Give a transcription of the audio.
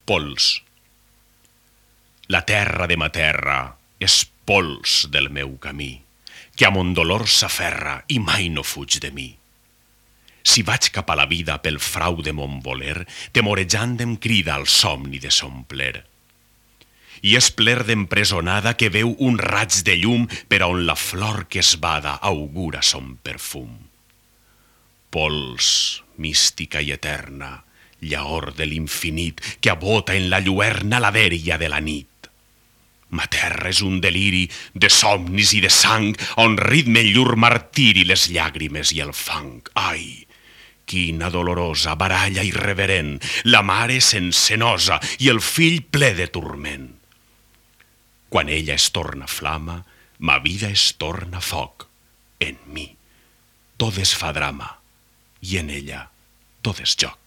pols. La terra de ma terra és pols del meu camí, que a mon dolor s'aferra i mai no fuig de mi. Si vaig cap a la vida pel frau de mon voler, temorejant em crida al somni de son pler. I és pler d'empresonada que veu un raig de llum per a on la flor que es bada augura son perfum. Pols, mística i eterna, llaor de l'infinit que abota en la lluerna la dèria de la nit. Ma terra és un deliri de somnis i de sang on ritmen llur martiri les llàgrimes i el fang. Ai, quina dolorosa baralla irreverent, la mare sense nosa i el fill ple de turment. Quan ella es torna flama, ma vida es torna foc. En mi tot es fa drama i en ella tot és joc.